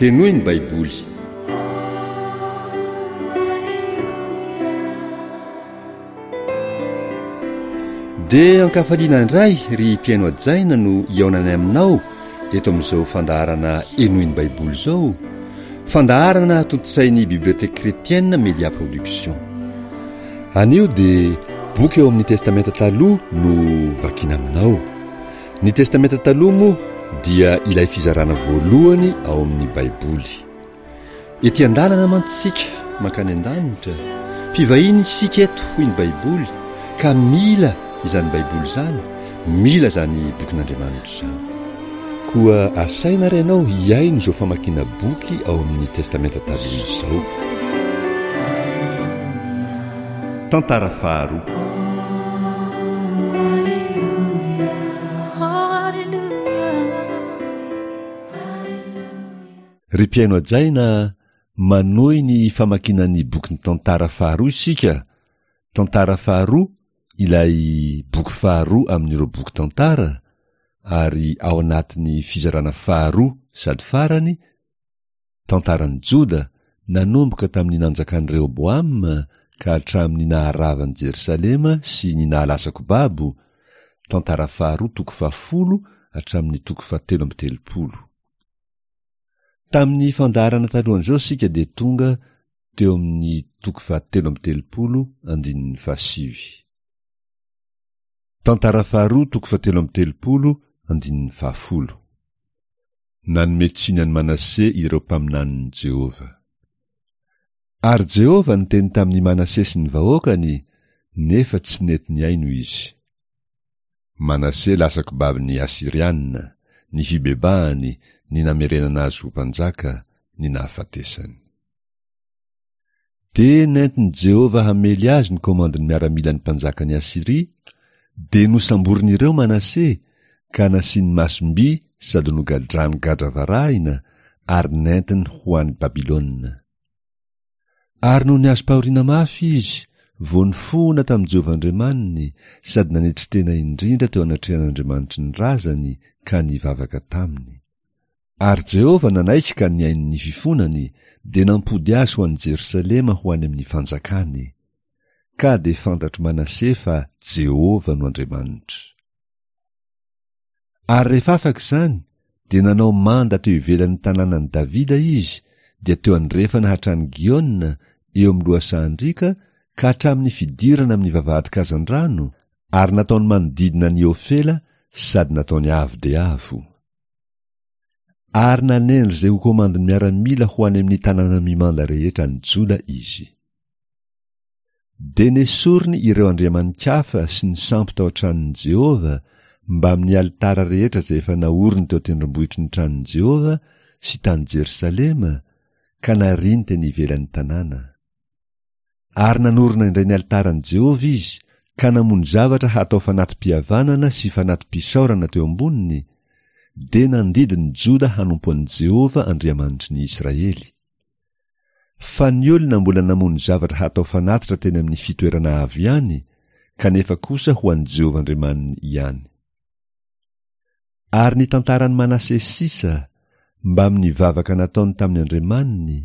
Henoy ny Baiboly. Dia ankafaliana indray ry mpihaino hajaina no hihaonanay aminao eto amin'izao fandaharana Henoy ny Baiboly izao, fandaharana tontosain'ny Bibliothèque Chrétienne Média Production. Anio dia boky ao amin'ny Testamenta Taloha no vakiana aminao. Ny Testamenta Taloha moa dia ilay fizarana voalohany ao amin'ny Baiboly. Ety an-dalana mantsy isika mankany an-danitra, mpivahiny isika eto hoy ny Baiboly ka mila izany Baiboly izany, mila izany bokin'Andriamanitra izany. Koa asaina ary ianao hihaino izao famakiana boky ao amin'ny Testamenta Taloha izao. Tantara faharoa. Ry mpihaino hajaina a, manohy ny famakiana ny bokin'ny Tantara faharoa isika, Tantara faharoa ilay boky faharoa amin'ireo boky tantara, ary ao anatin'ny fizarana faharoa sady farany, Tantaran'i Joda, nanomboka tamin'ny nanjakan'i Rehoboama ka hatramin'ny naharavan'i Jerosalema sy ny nahalasako babo, Tantara faharoa toko fahafolo hatramin'ny toko fahatelo amby telopolo. Tamin'ny fandaharana talohan'izao isika dia tonga teo amin'ny toko fahatelo amby telopolo andininy fahasivy. Tantara faharoa toko fahatelo amby telopolo andininy fahafolo. Nanome tsiny an'i Manase ireo mpaminanin'i Jehovah. Ary Jehovah niteny tamin'i Manase sy ny vahoakany, nefa tsy nety nihaino izy. Manase lasa kobabin'ny Asyriana, ny fibebahany, ny namerenana azy ho mpanjaka, ny nahafatesany. Dia nentin'i Jehovah hamely azy ny komandin'ny miaramilan'ny mpanjakan'i Asyria, dia nosamborin'ireo Manase, ka nasiany masom-by sady nogadrany gadra varahina ary nentiny ho any Babylona. Ary nony azom-pahoriana mafy izy, vao nifohona tamin'i Jehovah Andriamaniny sady nanetry tena indrindra teo anatrehan'Andriamanitry ny razany ka nivavaka taminy. Ary Jehovah nanaiky ka nihaino ny fifonany, dia nampody azy ho any Jerosalema ho any amin'ny fanjakany. Ka dia fantatr'i Manase fa Jehovah no Andriamanitra. Ary rehefa afaka izany, dia nanao manda teo ivelan'ny tanànan'i Davida izy, dia teo andrefana hatrany Giona, eo amin'ny lohasahan-driaka, ka hatramin'ny fidirana amin'ny vavahadin-kazandrano, ary nataony manodidina an'i Ofela sady nataony avo dia avo. Ary nanendry izay ho komandin'ny miaramila ho any amin'ny tanàna mimanda rehetra any Joda izy. Dia nesoriny ireo andriamani-kafa sy ny sampy tao an-tranon'i Jehovah, mbamin'ny alitara rehetra izay efa naoriny teo an-tendrombohitry ny tranon'i Jehovah sy tany Jerosalema, ka nariany teny ivelan'ny tanàna. Ary nanorina indray ny alitaran'i Jehovah izy, ka namono zavatra hatao fanati-pihavanana sy fanati-pisaorana teo amboniny, dia nandidy ny Joda hanompo an'i Jehovah Andriamanitry ny Israely. Fa ny olona mbola namono zavatra hatao fanatitra teny amin'ny fitoerana avo ihany, kanefa kosa ho an'i Jehovah Andriamaniny ihany. Ary ny tantaran'i Manase sisa, mbamin'ny vavaka nataony tamin'ny Andriamaniny,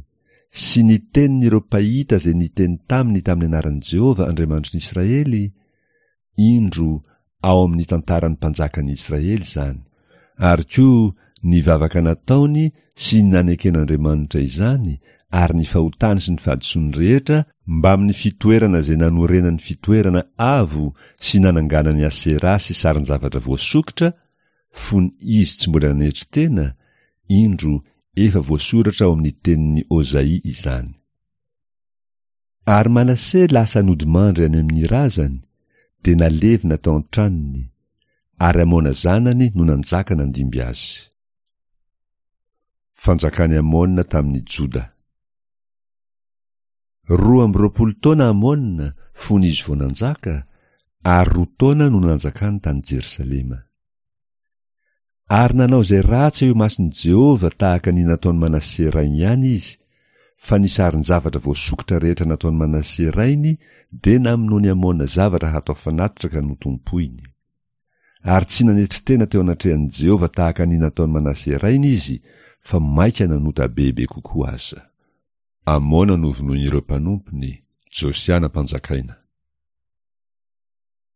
sy ny tenin'ireo mpahita izay niteny taminy tamin'ny anaran'i Jehovah Andriamanitry ny Israely, Indro ao amin'ny tantaran'ny mpanjakan'ny Israely izany, ary koa ny vavaka nataony sy ny naneken'Andriamanitra izany ary ny fahotany sy ny fahadisoany rehetra mbamin'ny fitoerana izay nanorenany fitoerana avo sy nananganany Aseraha sy sarin-javatra voasokitra fony izy tsy mbola nanetry tena, indro efa voasoratra ao amin'ny tenin'i Ozaia izany. Ary Manase lasa nodimandry any amin'ny razany, dia nalevina tao an-tranony, ary Amona zanany no nanjaka nandimby azy. Fanjakan'i Amona tamin'i Joda. 22 taona Amona fony izy vao nanjaka, ary roa taona no nanjakany tany Jerosalema. Ary nanao izay ratsy eo imason'i Jehovah tahaka ny nataon'i Manase rainy ihany izy, fa ny sarin-javatra voasokitra rehetra nataon'i Manase rainy dia namonoan'i Amona zavatra hatao fanatitra ka notompoiny. Ary tsy nanetry tena teo anatrehan'i Jehovah tahaka ny nataon'i Manase rainy izy, fa mainka nanota bebe kokoa aza. Amona novonoin'ireo mpanompony, Josia nampanjakaina.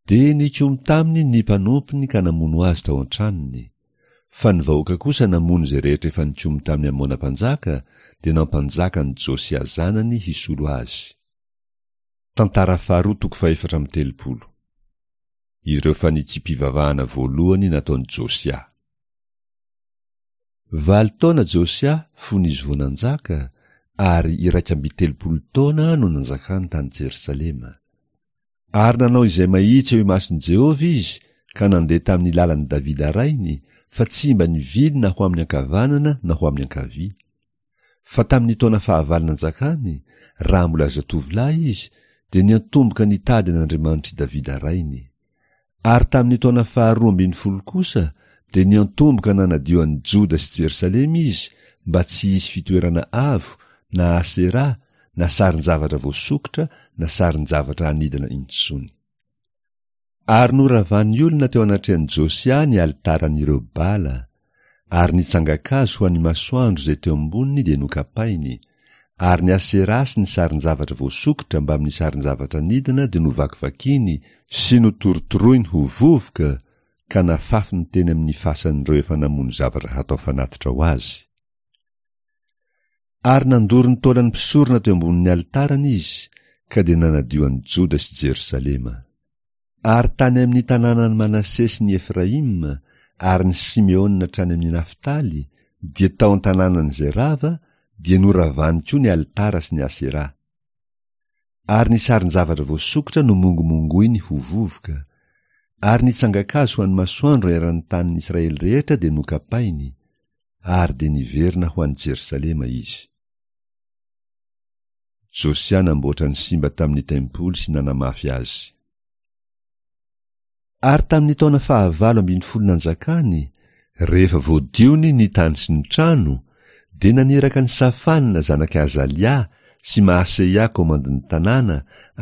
Dia nikomy taminy ny mpanompony ka namono azy tao an-tranony. Fa ny vahoaka kosa namono izay rehetra efa nikomy tamin'i Amona mpanjaka, dia nampanjaka an'i Josia zanany hisolo azy. Tantara faharoa toko fahefatra amby 30. Ireo fanitsiam-pivavahana voalohany nataon'i Josia. Valo taona Josia fony izy vao nanjaka, ary 31 taona no nanjakany tany Jerosalema. Ary nanao izay mahitsy eo imason'i Jehovah izy ka nandeha tamin'ny lalan'i Davida rainy, fa tsy mba nivily na ho amin'ny ankavanana na ho amin'ny ankavia. Fa tamin'ny taona fahavalo nanjakany, raha mbola zatovolahy izy, dia niantomboka nitady an'Andriamanitr'i Davida rainy. Ary tamin'ny taona faharoa ambin'ny folo kosa dia niantomboka nanadio an'i Joda sy Jerosalema izy mba tsy hisy fitoerana avo na Asera na sarin-javatra voasokitra na sarin-javatra anidina intsony. Ary noravan'ny olona teo anatrehan'i Josia ny alitaran'ireo Bala, ary ny tsangan-kazo ho an'ny masoandro izay teo amboniny dia nokapainy, ary ny Asera sy ny sarin-javatra voasokitra mbamin'ny sarin-javatra anidina dia novakivakiany sy notorotoroiny ho vovoka ka nafafiny teny amin'ny fasan'ireo efa namono zavatra hatao fanatitra ho azy. Ary nandoro ny taolan'ny mpisorona teo ambonin'ny alitarany izy, ka dia nanadio an'i Joda sy Jerosalema. Ary tany amin'ny tanànan'i Manase sy ny Efraima ary ny Simeona hatrany amin'ny Naftaly, dia tao an-tanànan'izay rava, dia noravany koa ny alitara sy ny Asera. Ary ny sarin-javatra voasokitra nomongomongoiny ho vovoka, ary ny tsangan-kazo ho an'ny masoandro eran'ny tanin'ny Israely rehetra dia nokapainy, ary dia niverina ho any Jerosalema izy. Josia namboatra ny simba tamin'ny tempoly sy nanamafy azy. Ary tamin'ny taona fahavalo ambin'ny folo nanjakany, rehefa voadiony ny tany sy ny trano, dia naniraka an'i Safana zanak'i Azalia sy Mahaseia komandin'ny tanàna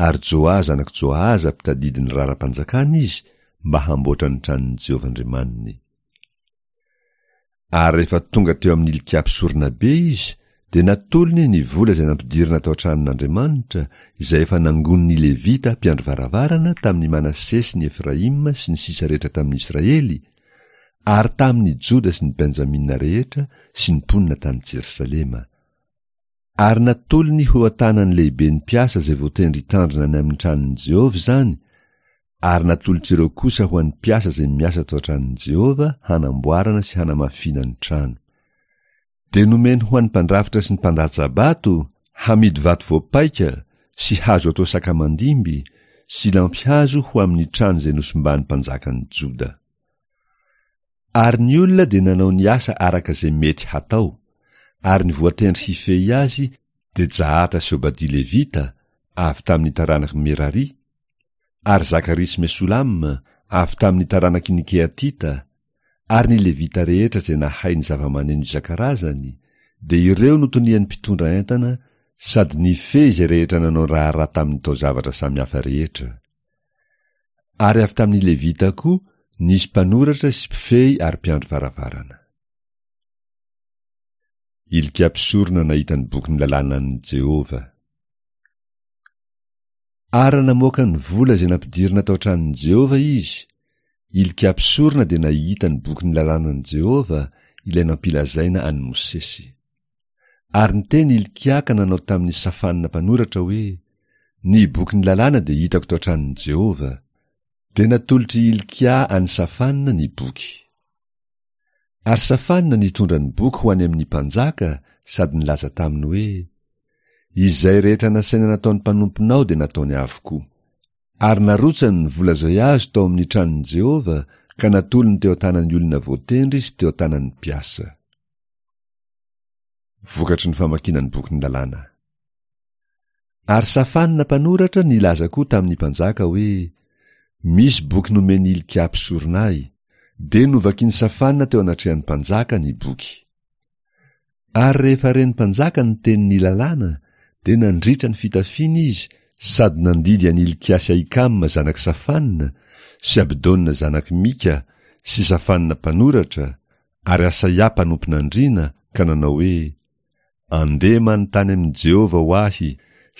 ary Joa zanak'i Joahaza mpitadidy ny raharaham-panjakana izy mba hamboatra ny tranon'i Jehovah Andriamaniny. Ary rehefa tonga teo amin'i Hilkia mpisoronabe izy, dia natolony ny vola izay nampidirina tao an-tranon'Andriamanitra, izay efa nangonin'ny Levita mpiandry varavarana tamin'i Manase sy ny Efraima sy ny sisa rehetra tamin'ny Israely, ary tamin'ny Joda sy ny Benjamina rehetra sy ny mponina tany Jerosalema. Ary natolony ho an-tanan'ny lehiben'ny mpiasa izay voatendry hitandrina ny amin'ny tranon'i Jehovah izany, ary natolotr'ireo kosa ho an'ny mpiasa izay miasa tao an-tranon'i Jehovah hanamboarana sy hanamafiana ny trano. Dia nomeny ho an'ny mpandrafitra sy ny mpandatsa-bato hamidy vato voapaika sy hazo atao sakamandimby sy lampihazo ho amin'ny trano izay nosimban'ny mpanjakan'i Joda. Ary ny olona dia nanao ny asa araka izay mety hatao, ary ny voatendry hifehy azy dia Jahata sy Obadia Levita, avy tamin'ny taranak'i Merari, ary Zakaria sy Mesolama, avy tamin'ny taranaky ny Kehatita, ary ny Levita rehetra izay nahay ny zava-maneno isan-karazany, dia ireo no tonian'ny mpitondra entana sady nifehy izay rehetra nanao raharaha tamin'ny taozavatra samihafa rehetra. Ary avy tamin'ny Levita koa nisy mpanoratra sy mpifehy ary mpiandry varavarana. Hilkia mpisorona nahita ny bokin'ny lalànan'i Jehovah. Ary raha namoaka ny vola izay nampidirina tao an-tranon'i Jehovah izy, Hilkia mpisorona dia nahita ny bokin'ny lalànan'i Jehovah, ilay nampilazaina an'i Mosesy. Ary niteny Hilkia ka nanao tamin'i Safana mpanoratra hoe, Ny bokin'ny lalàna dia hitako tao an-tranon'i Jehovah. Dia natolotr'i Hilkia an'i Safana ny boky. Ary Safana nitondra ny boky ho any amin'ny mpanjaka sady nilaza taminy hoe, Izay rehetra nasaina nataon'ny mpanomponao dia nataony avokoa. Ary narotsany ny vola izay azo tao amin'ny tranon'i Jehovah ka natolony teo an-tanan'ny olona voatendry sy teo an-tanan'ny mpiasa. Vokatry ny famakiana ny bokin'ny lalàna. Ary Safana mpanoratra nilaza koa tamin'ny mpanjaka hoe, Misy boky nomen'i Hilkia mpisorona ahy. Dia novakin'i Safana teo anatrehan'ny mpanjaka ny boky. Ary rehefa ren'ny mpanjaka ny tenin'ny lalàna, dia nandritra ny fitafiany izy sady nandidy an'i Hilkia sy Ahikama zanak'i Safana sy Abdona zanak'i Mika sy Safana mpanoratra ary Asaia mpanompon'andriana ka nanao hoe, Andeha manontany amin'i Jehovah ho ahy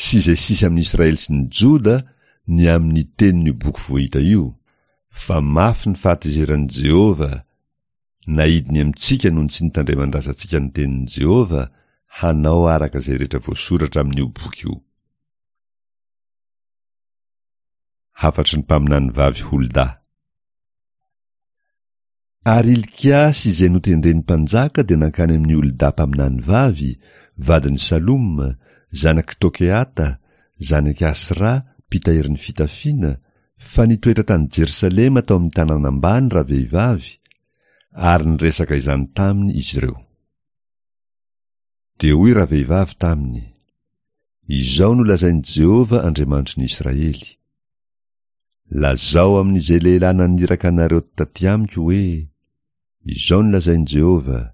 sy izay sisa amin'i Israely sy ny Joda ny amin'ny tenin'io boky voahita io, fa mafy ny fahatezeran'i Jehovah naidiny amintsika noho ny tsy nitandreman'ny razantsika ny tenin'i Jehovah hanao araka izay rehetra voasoratra amin'io boky io. Hafatry ny mpaminanivavy Holda. Ary Hilkia sy izay notendren'ny mpanjaka dia nankany amin'i Holda mpaminany vavy, vadin'i Saloma, zanak'i Tokeata, zanak'i Asra, mpitahiry ny fitafiana, fa nitoetra tany Jerosalema tao amin'ny tanàna ambany ravehivavy, ary niresaka izany taminy izy ireo. Dia hoy ravehivavy taminy, Izao no lazain'i Jehovah Andriamanitry ny Israely, Lazao amin'izay lehilahy naniraka anareo taty amiko hoe, Izao no lazain'i Jehovah,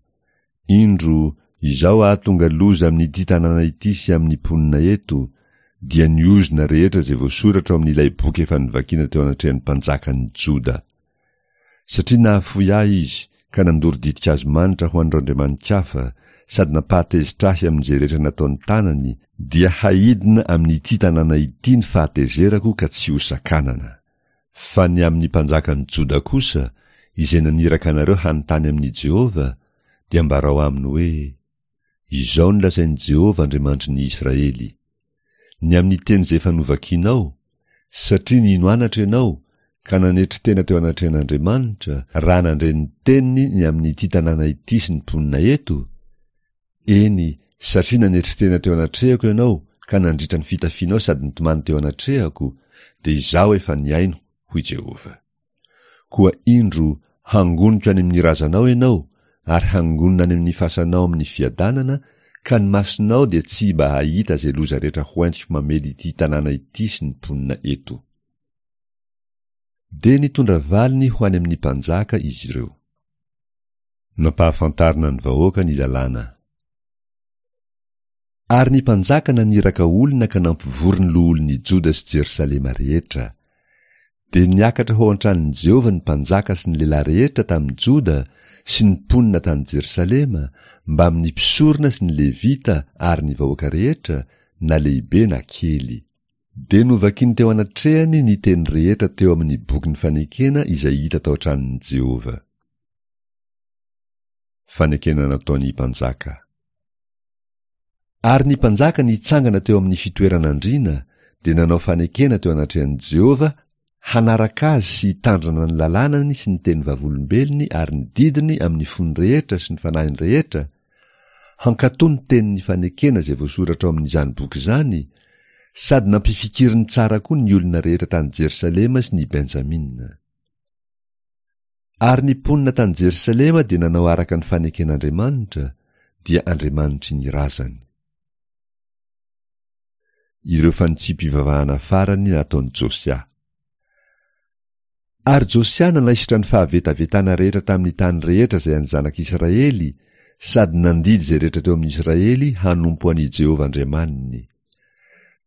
Indro, izaho hahatonga loza amin'ity tanàna ity sy amin'ny mponina eto, dia ny ozona rehetra izay voasoratra ao amin'ilay boky efa novakiana teo anatrehan'ny mpanjakan'ny Joda. Satria nahafoy ahy izy ka nandoro ditin-kazo manitra ho an'ireo andriamani-kafa sady nampahatezitra ahy amin'izay rehetra nataon'ny tanany, dia haidina amin'ity tanàna ity ny fahatezerako ka tsy hosakanana. Fa ny amin'ny mpanjakan'i Joda kosa, izay naniraka anareo hanontany amin'i Jehovah, dia ambarao aminy hoe, Izao no lazain'i Jehovah Andriamanitry ny Israely, Ny amin'ny teny izay efa novakinao, satria nino anatra ianao ka nanetry tena teo anatrehan'Andriamanitra raha nandre ny teniny ny amin'ity tanàna ity sy ny mponina eto, eny, satria nanetry tena teo anatrehako ianao ka nandritra ny fitafianao sady nitomany teo anatrehako, dia Izaho efa nihaino, hoy Jehovah. Koa indro, hangoniko any amin'ny razanao ianao, ary hangonina any amin'ny fasanao amin'ny fiadanana, ka ny masonao dia tsy mba hahita izay loza rehetra hoentiko mamely ity tanàna ity sy ny mponina eto. Dia nitondra valiny ho any amin'ny mpanjaka izy ireo. Nampahafantarina ny vahoaka ny lalàna. Ary ny mpanjaka naniraka olona ka nampivory ny loholon'i Joda sy Jerosalema rehetra. Dia niakatra ho ao an-tranon'i Jehovah ny mpanjaka sy ny lehilahy rehetra tamin'i Joda sy ny mponina tany Jerosalema, mbamin'ny mpisorona sy ny Levita ary ny vahoaka rehetra, na lehibe na kely. Dia novakiny teo anatrehany ny teny rehetra teo amin'ny bokin'ny fanekena izay hita tao an-tranon'i Jehovah. Fanekena nataon'ny mpanjaka. Ary ny mpanjaka nitsangana teo amin'ny fitoeran'andriana dia nanao fanekena teo anatrehan'i Jehovah hanaraka azy sy hitandrina ny lalànany sy ny teny vavolombelony ary ny didiny amin'ny fony rehetra sy ny fanahiny rehetra, hankatò ny tenin'ny fanekena izay voasoratra ao amin'izany boky izany, sady nampifikiriny tsara koa ny olona rehetra tany Jerosalema sy ny Benjamina. Ary ny mponina tany Jerosalema dia nanao araka ny faneken'Andriamanitra, dia Andriamanitry ny razany. Ireo fanitsiam-pivavahana farany nataon'i Josia. Ary Josia nanaisotra ny fahavetavetana rehetra tamin'ny tany rehetra izay an'ny zanak'Israely, sady nandidy izay rehetra teo amin'i Israely hanompo an'i Jehovah Andriamaniny.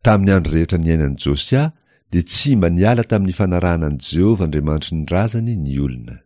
Tamin'ny andro rehetra niainan'i Josia dia tsy mba niala tamin'ny fanarahana an'i Jehovah Andriamanitry ny razany ny olona.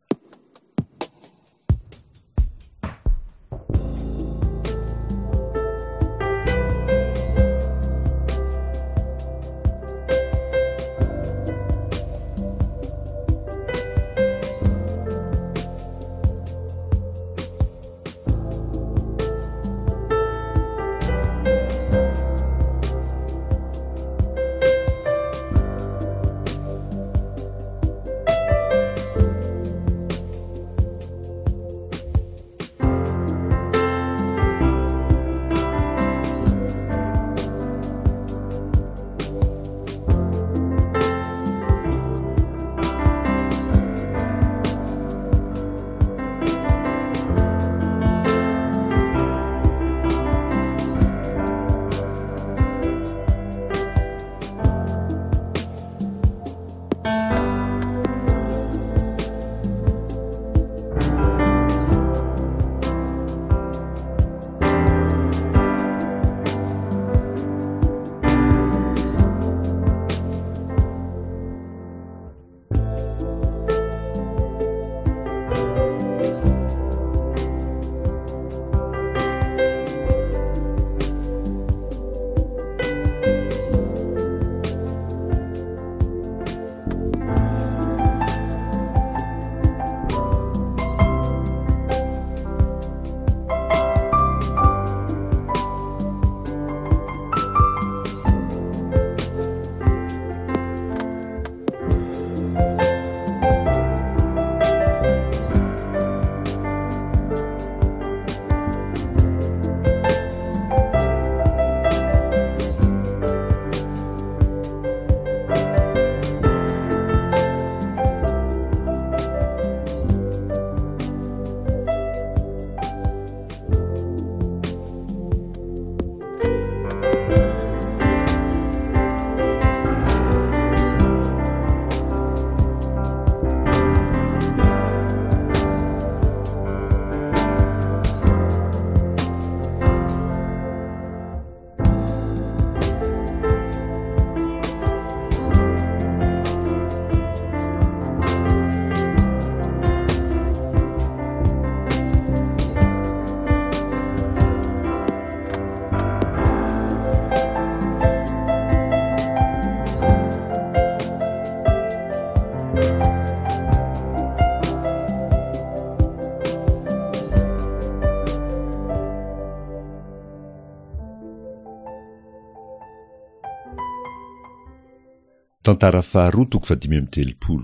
Tantara faharoa toko fahadimy amby 30.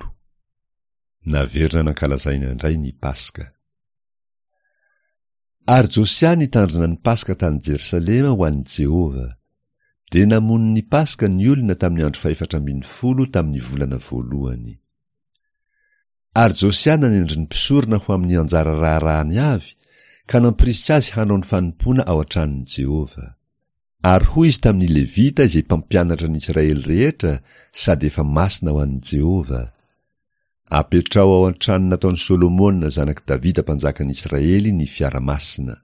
Naverina nankalazaina indray ny Paska. Ary Josia nitandrina ny Paska tany Jerosalema ho an'i Jehovah. Dia namono ny Paska ny olona tamin'ny andro fahefatra ambin'ny folo tamin'ny volana voalohany. Ary Josia nanendry ny mpisorona ho amin'ny anjara raharahany avy, ka nampirisika azy hanao ny fanompoana ao an-tranon'i Jehovah. Ary hoy izy tamin'ny Levita izay mpampianatra ny Israely rehetra sady efa masina ho an'i Jehovah, Apetraho ao an-trano nataon'i Solomona zanak'i Davida mpanjakan'i Israely ny fiara masina.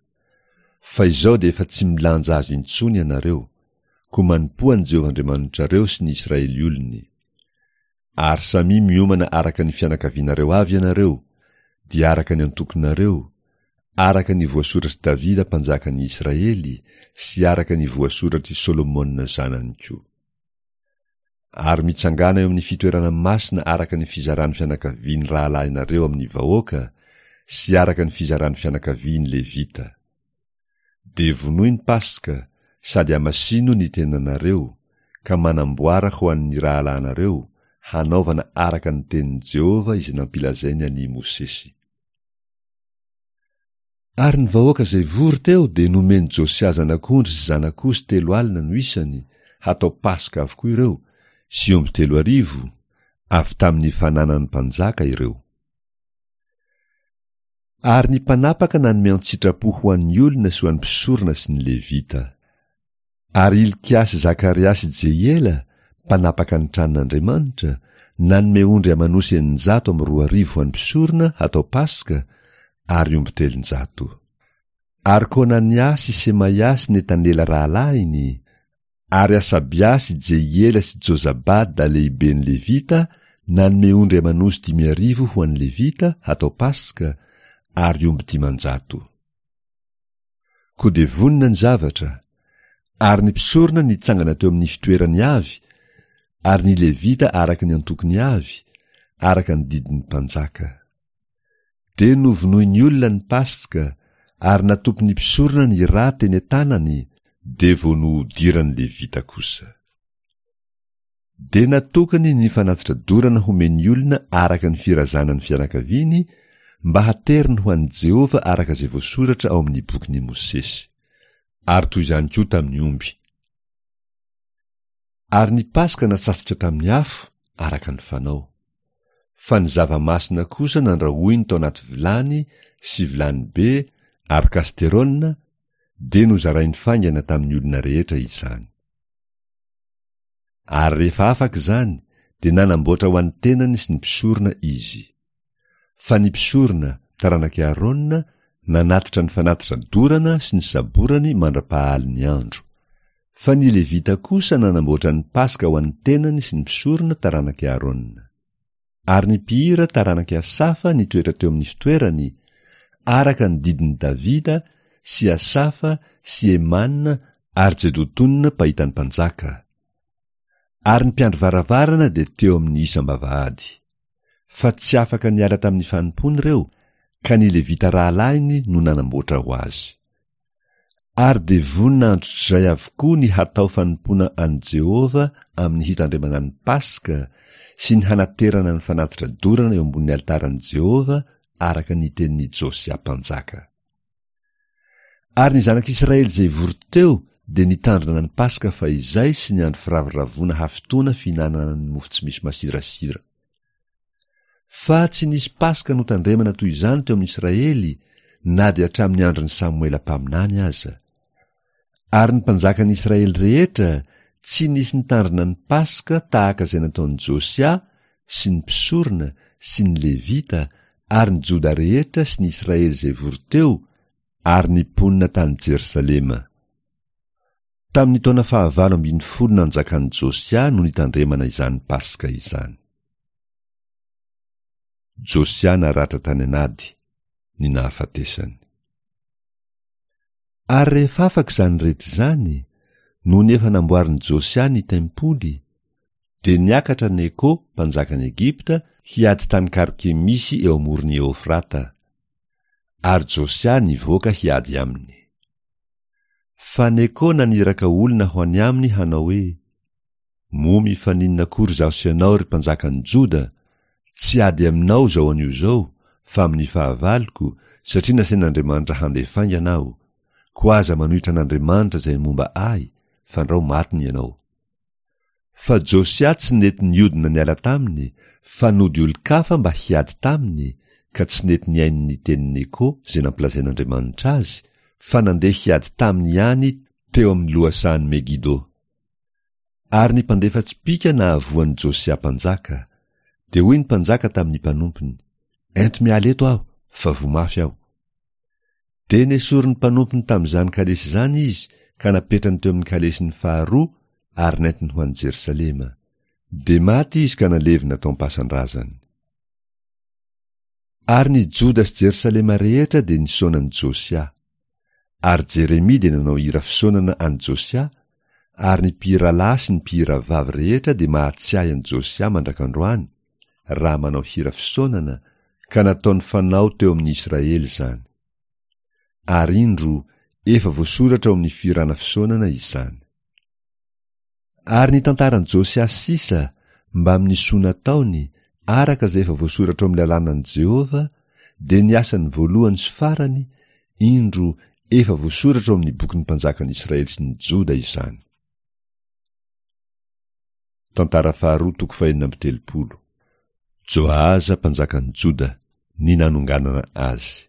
Fa izao dia efa tsy milanja azy intsony ianareo, koa manompoa an'i Jehovah Andriamanitrareo sy ny Israely olony. Ary samia miomana araka ny fianakavianareo avy ianareo, dia araka ny antokonareo, araka ny voasoratr'i Davida mpanjakan'i Israely sy araka ny voasoratr'i Solomona zanany koa. Ary mitsangàna eo amin'ny fitoerana masina araka ny fizaran'ny fianakavian'ny rahalahinareo amin'ny vahoaka sy araka ny fizaran'ny fianakavian'ny Levita. Dia vonoy ny Paska, sady hamasino ny tenanareo, ka manamboara ho an'ny rahalahinareo, hanaovana araka ny tenin'i Jehovah izay nampilazainy an'i Mosesy. Ary ny vahoaka izay vory teo dia nomen'i Josia zanak'ondry sy zanak'osy 40 no isany, hatao Paska avokoa ireo, sy omby 3000, avy tamin'ny fananan'ny mpanjaka ireo. Ary ny mpanapaka nanome an-tsitrapo ho an'ny olona sy ho an'ny mpisorona sy ny Levita. Ary Hilkia sy Zakaria sy Jehiela, mpanapaka ny tranon'Andriamanitra, nanome ondry aman'osy 2006 ho an'ny mpisorona hatao Paska, ary omby 300. Ary Konania sy Semaia sy Netanela rahalahiny, ary Hasabia sy Jehiela sy Jozabada lehiben'ny Levita nanome ondry aman'osy 5000 ho an'ny Levita hatao Paska, ary omby 500. Koa dia vonona ny zavatra, ary ny mpisorona nitsangana teo amin'ny fitoerany avy, ary ny Levita araka ny antokony avy, araka ny didin'ny mpanjaka. Dia novonoin'ny olona ny Paska, ary natopin'ny mpisorona ny rà teny an-tanany, dia vao nohodiran'ny Levita kosa. Dia natokany ny fanatitra dorana homen'ny olona araka ny firazanan'ny fianakaviany, mba hateriny ho an'i Jehovah araka izay voasoratra ao amin'ny bokin'i Mosesy. Ary toy izany koa tamin'ny omby. Ary ny Paska natsatsotra tamin'ny afo, araka ny fanao. Fa ny zava-masina kosa nandrahoiny tao anaty vilany sy vilany be ary kasterôna, dia nozarainy faingana tamin'ny olona rehetra izany. Ary rehefa afaka izany, dia nanamboatra ho an'ny tenany sy ny mpisorona izy. Fa ny mpisorona, taranak'i Arona, nanatitra ny fanatitra dorana sy ny saborany mandra-pahalin'ny andro. Fa ny Levita kosa nanamboatra ny Paska ho an'ny tenany sy ny mpisorona taranak'i Arona. Ary ny mpihira taranak'i Asafa nitoetra teo amin'ny fitoerany, araka ny didin'i Davida sy Asafa sy Hemana ary Jedotona mpahita ny mpanjaka. Ary ny mpiandry varavarana dia teo amin'ny isam-bavahady. Fa tsy afaka niala tamin'ny fanompoany ireo, ka ny Levita rahalahiny no nanamboatra ho azy. Ary dia vonona androtr'izay avokoa ny hatao fanompoana an'i Jehovah amin'ny hitandremana ny Paska sy ny hanaterana ny fanatitra dorana eo ambonin'ny alitaran'i Jehovah araka ny tenin'i Josia mpanjaka. Ary ny zanak'Israely izay vory teo dia nitandrina ny Paska fahizay sy ny andro firavoravoana hafitoana fihinanana ny mofo tsy misy masirasira. Fa tsy nisy Paska notandremana toy izany teo amin'ny Israely na dia hatramin'ny andron'i Samoela mpaminany aza. Ary ny mpanjakan'ny Israely rehetra tsy nisy nitandrina ny Paska tahaka izay nataon'i Josia sy ny mpisorona sy ny Levita ary ny Joda rehetra sy ny Israely izay vory teo ary ny mponina tany Jerosalema. Tamin'ny taona fahavalo ambin'ny folo nanjakan'i Josia no nitandremana izany Paska izany. Josia naratra tany an'ady, ny nahafatesany. Ary rehefa afaka izany rehetra izany, nony efa namboarin'i Josia ny tempoly, dia niakatra Neko, mpanjakan'i Egypta, hiady tany Karkemisy eo amoron'i Eofrata. Ary Josia nivoaka hiady aminy. Fa Neko naniraka olona ho any aminy hanao hoe, Moa mifaninona akory izaho sy ianao, ry mpanjakan'i Joda? Tsy ady aminao izao anio izao, fa amin'ny fahavaloko, satria nasain'Andriamanitra handeha faingana aho. Koa aza manohitra an'Andriamanitra izay momba ahy, fandrao matiny ianao. Fa Josia tsy nety niodina niala taminy, fa nody olon-kafa mba hiady taminy, ka tsy nety nihaino ny tenin'i Neko izay nampilazain'Andriamanitra azy, fa nandeha hiady taminy ihany teo amin'ny lohasahan'i Megido. Ary ny mpandefa tsipìka nahavoa an'i Josia mpanjaka. Dia hoy ny mpanjaka tamin'ny mpanompony, Ento miala eto aho, fa voa mafy aho. Dia nesorin'ny mpanompony tamin'izany kalesy izany izy ka napetrany teo amin'ny kalesiny faharoa ary nentiny ho any Jerosalema. Dia maty izy ka nalevina tao am-pasan-drazany. Ary ny Joda sy Jerosalema rehetra dia nisaona an'i Josia. Ary Jeremia dia nanao hira fisaonana an'i Josia, ary ny mpihira lahy sy ny mpihira vavy rehetra dia mahatsiahy an'i Josia mandrak'androany, raha manao hira fisaonana, ka nataony fanao teo amin'ny Israely izany. Ary indro, efa voasoratra ao amin'ny fihirana fisaonana izany. Ary ny tantaran'i Josia sisa, mbamin'ny soa nataony, araka izay efa voasoratra ao amin'ny lalànan'i Jehovah, dia ny asany voalohany sy farany, indro, efa voasoratra ao amin'ny bokin'ny mpanjakan'i Israely sy ny Joda izany. Tantara faharoa toko fahenina amby telopolo. Joahaza mpanjakan'i Joda, ny nanonganana azy.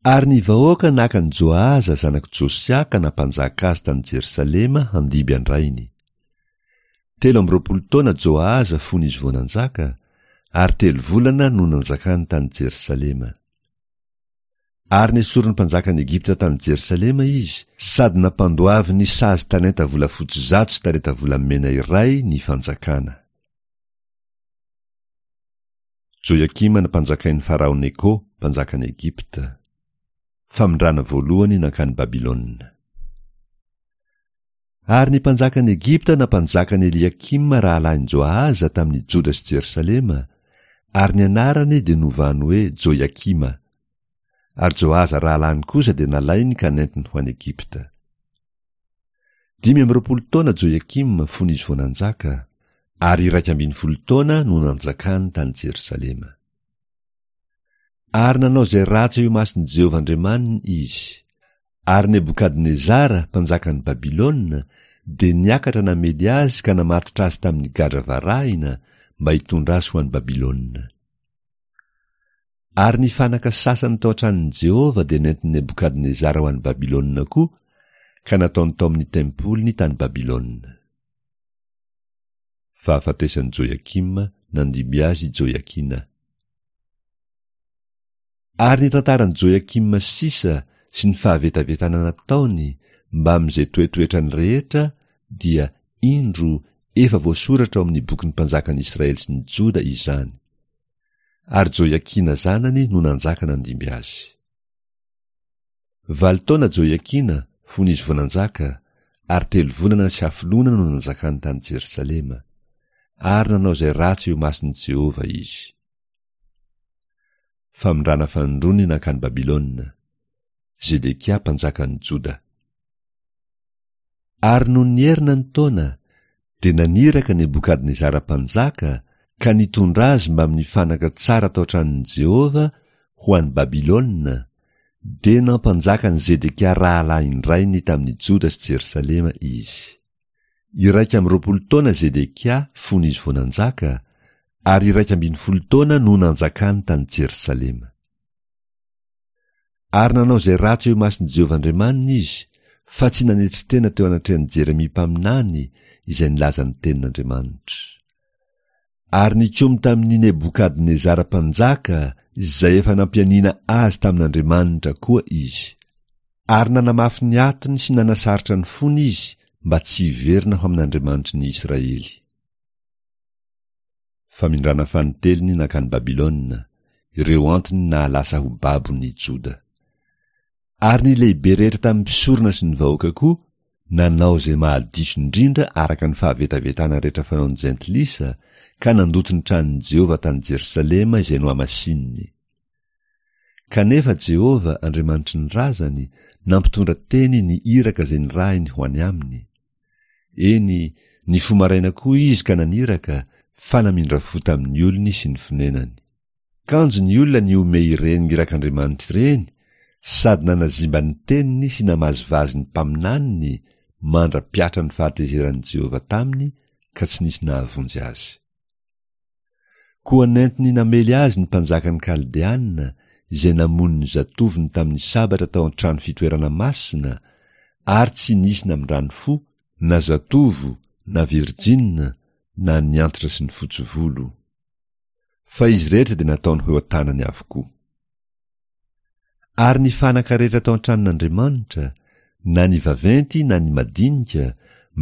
Ary ny vahoaka naka an'i Joahaza zanak'i Josia ka nampanjaka azy tany Jerosalema handimby an-drainy. 23 taona Joahaza fony izy vao nanjaka, ary telo volana no nanjakany tany Jerosalema. Ary nesorin'ny mpanjakan'i Egypta tany Jerosalema izy, sady nampandoaviny sazy talenta volafotsy 100 sy talenta volamena iray ny fanjakana. Joiakima nampanjakain'i Farao Neko, mpanjakan'i Egypta. Famindrana voalohany nankany Babylona. Ary ny mpanjakan'i Egypta nampanjaka an'i Eliakima rahalahin'i Joahaza tamin'i Joda sy Jerosalema, ary ny anarany dia novany hoe Joiakima. Ary Joahaza rahalahiny kosa dia nalainy ka nentiny ho any Egypta. 25 taona Joiakima fony izy vao nanjaka, ary 11 taona no nanjakany tany Jerosalema. Ary nanao izay ratsy eo imason'i Jehovah Andriamaniny izy. Ary Nebokadnezara, mpanjakan'i Babylona, dia niakatra namely azy ka namatotra azy tamin'ny gadra varahina mba hitondra azy ho any Babylona. Ary ny fanaka sasany tao an-tranon'i Jehovah dia nentin'i Nebokadnezara ho any Babylona koa, ka nataony tao amin'ny tempoliny tany Babylona. Fahafatesan'i Joiakima, nandimby azy i Joiakina. Ary ny tantaran'i Joiakima sisa sy ny fahavetavetana nataony mbamin'izay toetoetrany rehetra dia, indro, efa voasoratra ao amin'ny bokin'ny mpanjakan'i Israely sy ny Joda izany. Ary Joiakina zanany no nanjaka nandimby azy. Valo taona Joiakina fony izy vao nanjaka, ary telo volana sy hafoloana no nanjakany tany Jerosalema. Ary nanao izay ratsy eo imason'i Jehovah izy. Famindrana fanindroany nankany Babylona. Zedekia mpanjakan'i Joda. Ary nony nierina ny taona, dia naniraka Nebokadnezara mpanjaka ka nitondra azy mbamin'ny fanaka tsara tao an-tranon'i Jehovah ho any Babylona, dia nampanjaka an'i Zedekia rahalahin-drainy tamin'i Joda sy Jerosalema izy. 21 taona Zedekia fony izy vao nanjaka, ary 11 taona no nanjakany tany Jerosalema. Ary nanao izay ratsy eo imason'i Jehovah Andriamaniny izy, fa tsy nanetry tena teo anatrehan'i Jeremia mpaminany, izay nilaza ny tenin'Andriamanitra. Ary nikomy tamin'i Nebokadnezara mpanjaka, izay efa nampianiana azy tamin'Andriamanitra koa izy. Ary nanamafy ny atony sy nanasarotra ny fony izy, mba tsy hiverina ho amin'Andriamanitry ny Israely. Famindrana fanintelony nankany Babylona, ireo antony nahalasa ho babo ny Joda. Ary ny lehibe rehetra tamin'ny mpisorona sy ny vahoaka koa nanao izay mahadiso indrindra araka ny fahavetavetana rehetra fanaon'ny jentilisa, ka nandoto ny tranon'i Jehovah tany Jerosalema izay nohamasininy. Kanefa Jehovah, Andriamanitry ny razany, nampitondra teny ny iraka izay nirahiny ho any aminy. Eny, nifoha maraina koa izy ka naniraka, fa namindra fo tamin'ny olony sy ny fonenany. Kanjo ny olona nihomehy ireny irak'Andriamanitra ireny sady nanazimba ny teniny sy namazivazy ny mpaminaniny mandra-piatra ny fahatezeran'i Jehovah taminy ka tsy nisy nahavonjy azy. Koa nentiny namely azy ny mpanjakan'ny Kaldeana izay namono ny zatovony tamin'ny sabatra tao an-trano fitoerana masina ary tsy nisy namindrany fo na zatovo na virjina na ny antitra sy ny fotsy volo. Fa izy rehetra dia nataony ho eo an-tanany avokoa. Ary ny fanaka rehetra tao an-tranon'Andriamanitra, na ny vaventy na ny madinika,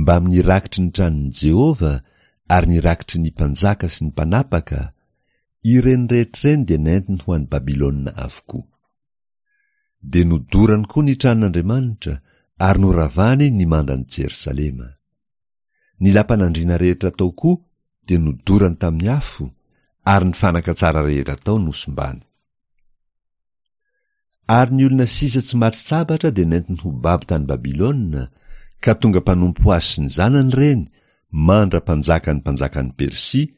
mbamin'ny rakitry ny tranon'i Jehovah ary ny rakitry ny mpanjaka sy ny mpanapaka, ireny rehetra ireny dia nentiny ho any Babylona avokoa. Dia nodorany koa ny tranon'Andriamanitra ary noravany ny mandan'i Jerosalema. Ny lapan'andriana rehetra tao koa dia nodorany tamin'ny afo, ary ny fanaka tsara rehetra tao nosimbany. Ary ny olona sisa tsy maty sabatra dia nentiny ho babo tany Babylona, ka tonga mpanompo azy sy ny zanany ireny, mandra-panjakan'ny mpanjakan'i Persia,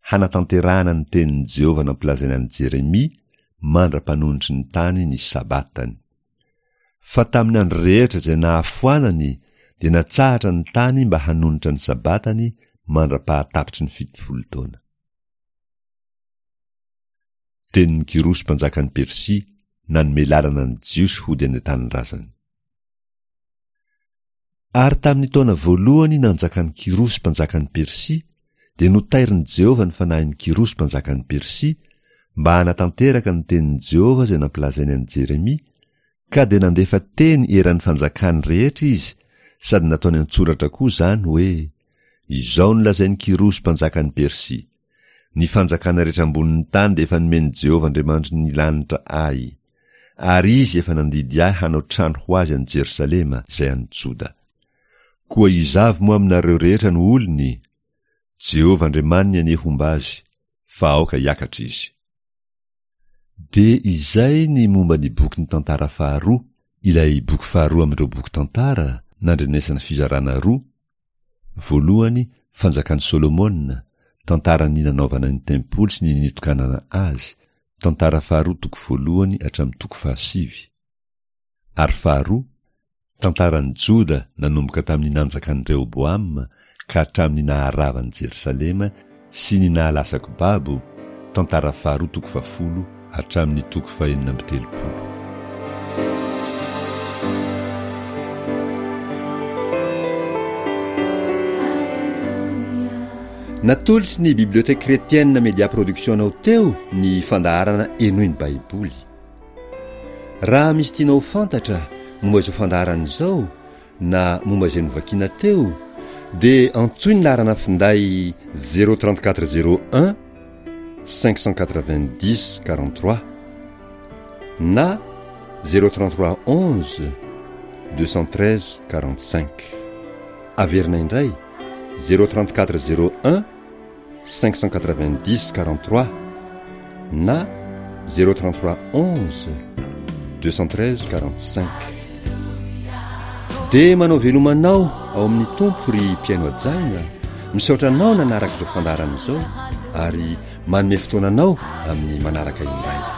hanatanterahana ny tenin'i Jehovah nampilazaina an'i Jeremia, mandra-panonitry ny tany ny Sabatany. Fa tamin'ny andro rehetra izay nahafoanany dia natsahatra ny tany mba hanonitra ny Sabatany mandra-pahatapitry ny 70 taona. Tenin'i Kyrosy mpanjakan'i Persia nanome lalana ny Jiosy hody any an-tanindrazany. Ary tamin'ny taona voalohany nanjakan'i Kyrosy mpanjakan'i Persia, dia notairin'i Jehovah ny fanahin'i Kyrosy mpanjakan'i Persia, mba hanatanteraka ny tenin'i Jehovah izay nampilazainy an'i Jeremia, ka dia nandefa teny eran'ny fanjakany rehetra izy, sady nataony an-tsoratra koa izany, hoe, Izao no lazain'i Kyrosy mpanjakan'i Persia, Ny fanjakana rehetra ambonin'ny tany dia efa nomen'i Jehovah Andriamanitry ny lanitra ahy. Ary izy efa nandidy ahy hanao trano ho azy any Jerosalema, izay any Joda. Koa iza avy moa aminareo rehetra no olony? Jehovah Andriamaniny anie homba azy, fa aoka hiakatra izy. Dia izay ny momba ny bokin'ny Tantara faharoa, ilay boky faharoa amin'ireo boky tantara, nandrenesana fizarana roa, Voalohany, Fanjakan'i Solomona, tantaran'ny nanaovana ny tempoly sy ny nitokanana azy, Tantara faharoa toko voalohany hatramin'ny toko fahasivy. Ary faharoa, tantaran'i Joda nanomboka tamin'ny nanjakan'i Rehoboama ka hatramin'ny naharavan'i Jerosalema sy ny nahalasako babo, Tantara faharoa toko fahafolo hatramin'ny toko fahenina amby telopolo. Natolotry ny Bibliothèque Chrétienne Media Production anao teo ny fandaharana Henoy ny Baiboly. Raha misy tianao ho fantatra momba izao fandaharana izao na momba izay novakiana teo dia antsoy ny laharana finday 034 01 590 43 na 033 11 213 45. Averina indray 034 01 590 43 na 033 11 213 45. Dia manao veloma anao ao amin'ny Tompo ry mpihaino hajaina, misaotra anao nanaraka izao fandaharana izao ary manome fotoana anao amin'ny manaraka indray.